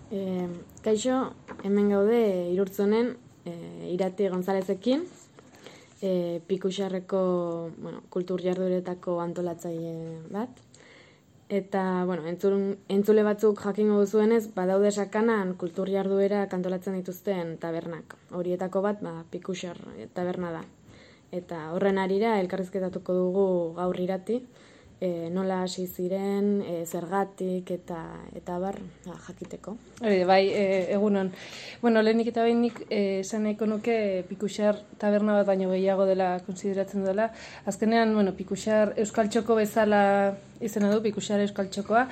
Kaixo, hemen gaude Irurtzonen Irati Gonzalezekin, Pikuxarreko kultur jardueretako antolatzaile bat. Eta, entzule batzuk jakingo duzuenez, badaude sakanan kultur jarduera antolatzen dituzten tabernak. Horietako bat, Pikuxar taberna da. Eta horren harira elkarrizketatuko dugu gaur Irati, nola hasi ziren, zergatik eta bar jakiteko. Bai, egunon. Lehenik eta behinik esan nahiko nuke Pikuxar taberna bat baino gehiago dela konsideratzen dela. Azkenean, Pikuxar Euskal Txoko bezala izena du, Pikuxar Euskal Txokoa,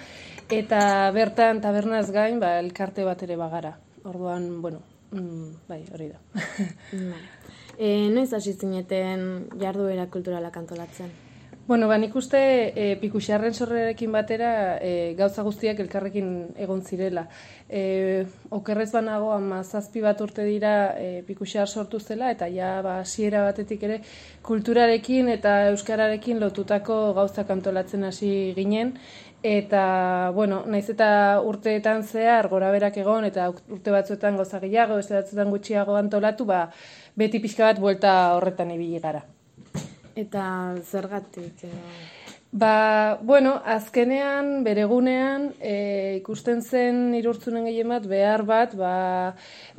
eta bertan tabernaz gain, elkarte bat ere bagara. Orduan, hori da. Noiz hasi zineten jarduera kulturalak antolatzen? Nik uste Pikuxarren sorrerarekin batera gauza guztiak elkarrekin egon zirela. Okerrez banago 17 bat urte dira Pikuxar sortu zela, eta hasiera batetik ere kulturarekin eta euskararekin lotutako gauzak antolatzen hasi ginen. Eta, naiz eta urteetan zehar goraberak egon, eta urte batzuetan gauza gehiago, beste batzuetan gutxiago antolatu, beti pixka bat buelta horretan ibili gara. Eta zergatik? Azkenean, beregunean, ikusten zen Irurtzunen gehien behar bat,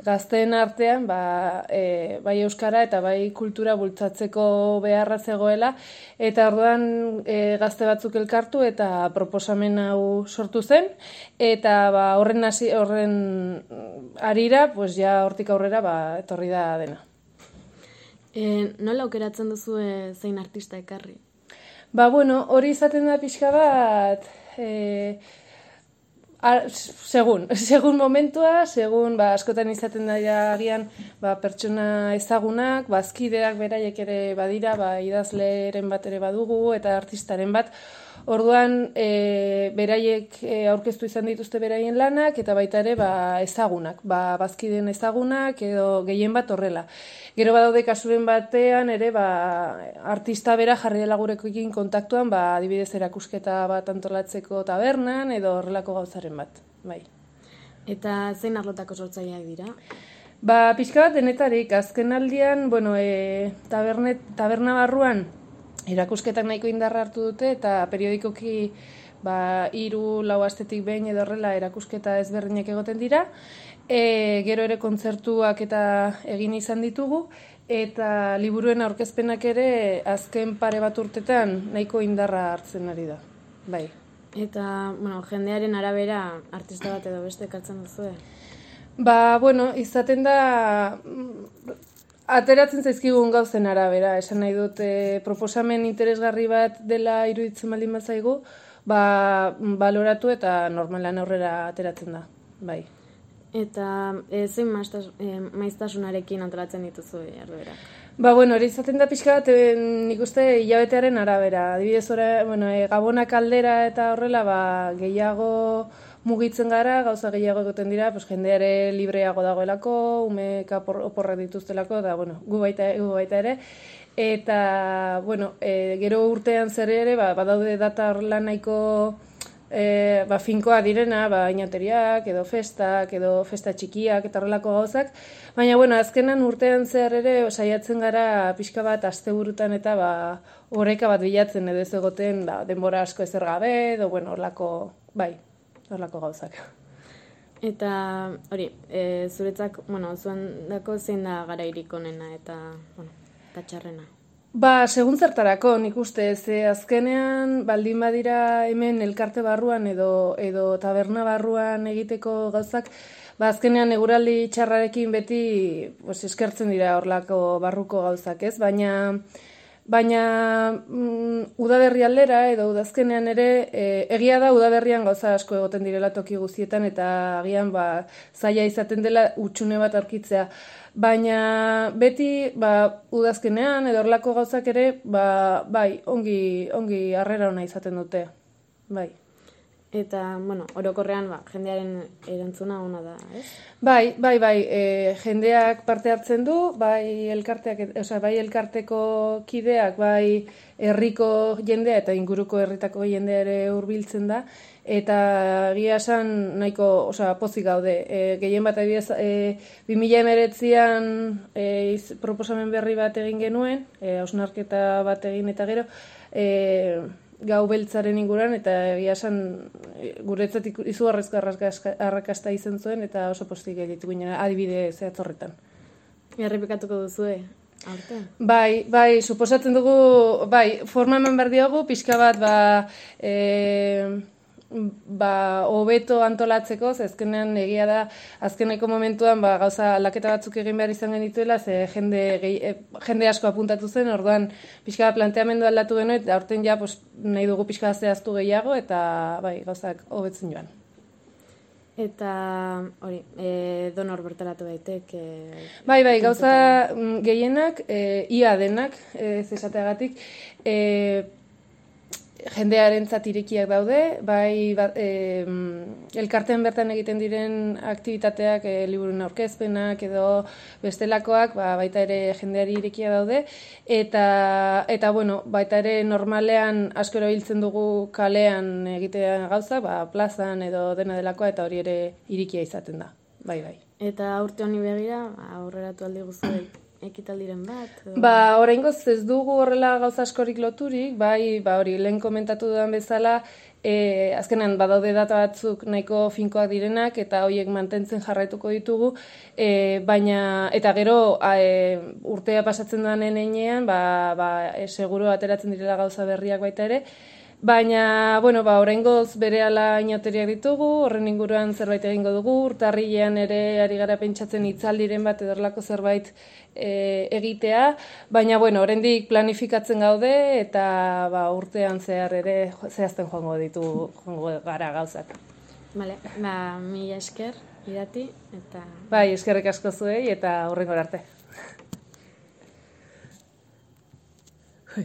gazteen artean, bai euskara eta bai kultura bultzatzeko beharra zegoela, eta orduan gazte batzuk elkartu eta proposamen hau sortu zen, eta horren harira, hortik aurrera, etorri da dena. Nola aukeratzen duzu zein artista ekarri? Hori izaten da pixka bat, segun momentua, askotan izaten da agian pertsona ezagunak, bazkideak beraiek ere badira, idazleren bat ere badugu eta artistaren bat. Orduan, beraiek aurkeztu izan dituzte beraien lanak, eta baita ere ezagunak, bazkideen ezagunak edo gehien bat horrela. Gero badaude kasuren batean ere artista bera jarri dela gurekin kontaktuan, adibidez erakusketa bat antolatzeko tabernan edo horrelako gauzaren bat. Bai. Eta zein arlotako sortzaileak dira? Pixka bat denetarik, azken aldian, taberna barruan, erakusketak nahiko indarra hartu dute, eta periodikoki 3-4 astetik behin edo horrela erakusketa ezberdinak egoten dira. Gero ere kontzertuak eta egin izan ditugu, eta liburuen aurkezpenak ere azken pare bat urtetan nahiko indarra hartzen ari da. Bai. Eta, jendearen arabera artista bat edo beste ekartzen duzu? Izaten da ateratzen zaizkigun gauzen arabera, esan nahi dut proposamen interesgarri bat dela iruditzen baldin bazaigu, baloratu eta normalan aurrera ateratzen da, bai. Eta zein maiztasunarekin antolatzen dituzu jarduerak? Hori izaten da pixka bat, nik uste hilabetearen arabera. Adibidez, Gabonak aldera eta horrela gehiago mugitzen gara, gauza gehiago egoten dira, jendeare libreago dagoelako, umeek oporrak dituztelako, eta gu baita ere. Eta, gero urtean zer ere, badaude data horrela nahiko finkoa direna, inateriak, edo festa txikiak, eta horrelako gauzak. Baina, azkenan urtean zer ere, saiatzen gara pixka bat asteburutan eta oreka bat bilatzen edo ez egoten denbora asko ezer gabe, edo horrelako gauzak. Eta hori, zuretzak, zuen dako zein da garairik onena eta txarrena? Segun zertarako, nik uste, azkenean baldin badira hemen elkarte barruan edo taberna barruan egiteko gauzak, azkenean eguraldi txarrarekin beti eskertzen dira horlako barruko gauzak, ez? Baina udaberri aldera edo udazkenean ere, egia da udaberrian gauza asko egoten direla toki guztietan eta agian zaila izaten dela hutsune bat aurkitzea. Baina beti udazkenean edo horlako gauzak ere, ongi harrera ona izaten dute. Bai. Eta, orokorrean, jendearen erantzuna ona da, ez? Bai, jendeak parte hartzen du, bai elkarteko kideak, bai herriko jendea eta inguruko herritako jendea ere hurbiltzen da, eta egia esan nahiko, pozik gaude. Gehien bat adibidez 2019an proposamen berri bat egin genuen, hausnarketa bat egin eta gero, gau beltzaren inguran, eta egia esan guretzat izugarrizko arrakasta izan zuen, eta oso pozik editu ginen adibide zehatz horretan. Errepikatuko duzue, aurten? Bai, suposatzen dugu, forma eman behar diogu, pixka bat, hobeto antolatzeko, ze azkenean egia da, azkeneko momentuan gauza aldaketa batzuk egin behar izan genituela, ze jende asko apuntatu zen, orduan pixka bat planteamendu aldatu genuen, eta aurten ja nahi dugu pixka bat zehaztu gehiago, eta gauzak hobetzen joan. Eta hori, donor bertaratu daitek? Gauza gehienak, ia denak, ez esateagatik, jendearentzat irekiak daude, elkartean bertan egiten diren aktibitateak, liburuen aurkezpenak edo bestelakoak, baita ere jendeari irekia daude, eta baita ere normalean asko erabiltzen dugu kalean egitea gauza, plazan edo dena delakoa, eta hori ere irikia izaten da, bai. Eta urte honi begira, aurreratu aldi guztiak ekitaldiren bat? Oraingoz ez dugu horrela gauza askorik loturik, hori lehen komentatu dudan bezala, azkenan badaude data batzuk nahiko finkoak direnak eta horiek mantentzen jarraituko ditugu, baina eta gero urtea pasatzen danen heinean, seguro ateratzen direla gauza berriak baita ere, baina, oraingoz berehala inauteriak ditugu, horren inguruan zerbait egingo dugu, urtarrilean ere ari gara pentsatzen hitzaldiren bat edorlako zerbait egitea, baina, oraindik planifikatzen gaude, eta urtean zehar ere zehazten joango gara gauzak. Bale, mila esker, Irati, eta... Eskerrik asko zuei, eta hurrengora arte.